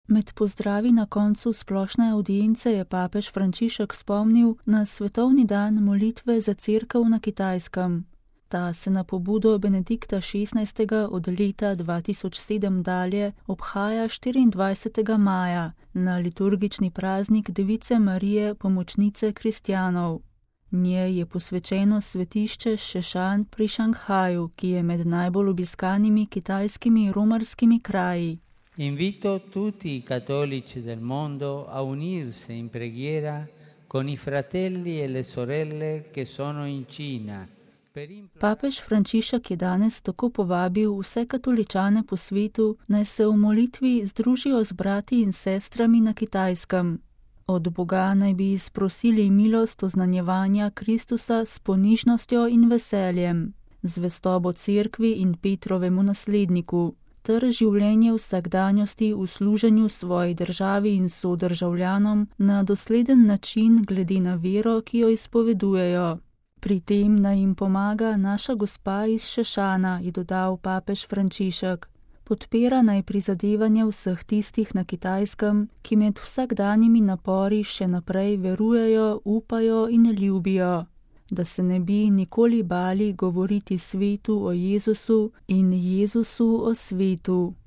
Med pozdravi na koncu splošne avdience je papež Frančišek spomnil na svetovni dan molitve za cerkev na Kitajskem. Ta se na pobudo Benedikta XVI. Od leta 2007 dalje obhaja 24. maja na liturgični praznik Device Marije, pomočnice kristjanov. Njej je posvečeno svetišče Šešan pri Šanghaju, ki je med najbolj obiskanimi kitajskimi romarskimi kraji. Invito tutti i cattolici del mondo a unirsi in preghiera con i fratelli e le sorelle che sono in Cina. Papež Frančišek je danes tako povabil vse katoličane po svetu, naj se v molitvi združijo z brati in sestrami na Kitajskem. Od Boga naj bi izprosili milost oznanjevanja Kristusa s ponižnostjo in veseljem, zvestobo cerkvi in Petrovemu nasledniku, ter življenje vsakdanjosti v služenju svoji državi in sodržavljanom na dosleden način glede na vero, ki jo izpovedujejo. Pri tem naj jim pomaga naša gospa iz Šešana, je dodal papež Frančišek. Podpira naj prizadevanje vseh tistih na Kitajskem, ki med vsakdanjimi napori še naprej verujejo, upajo in ljubijo, da se ne bi nikoli bali govoriti svetu o Jezusu in Jezusu o svetu.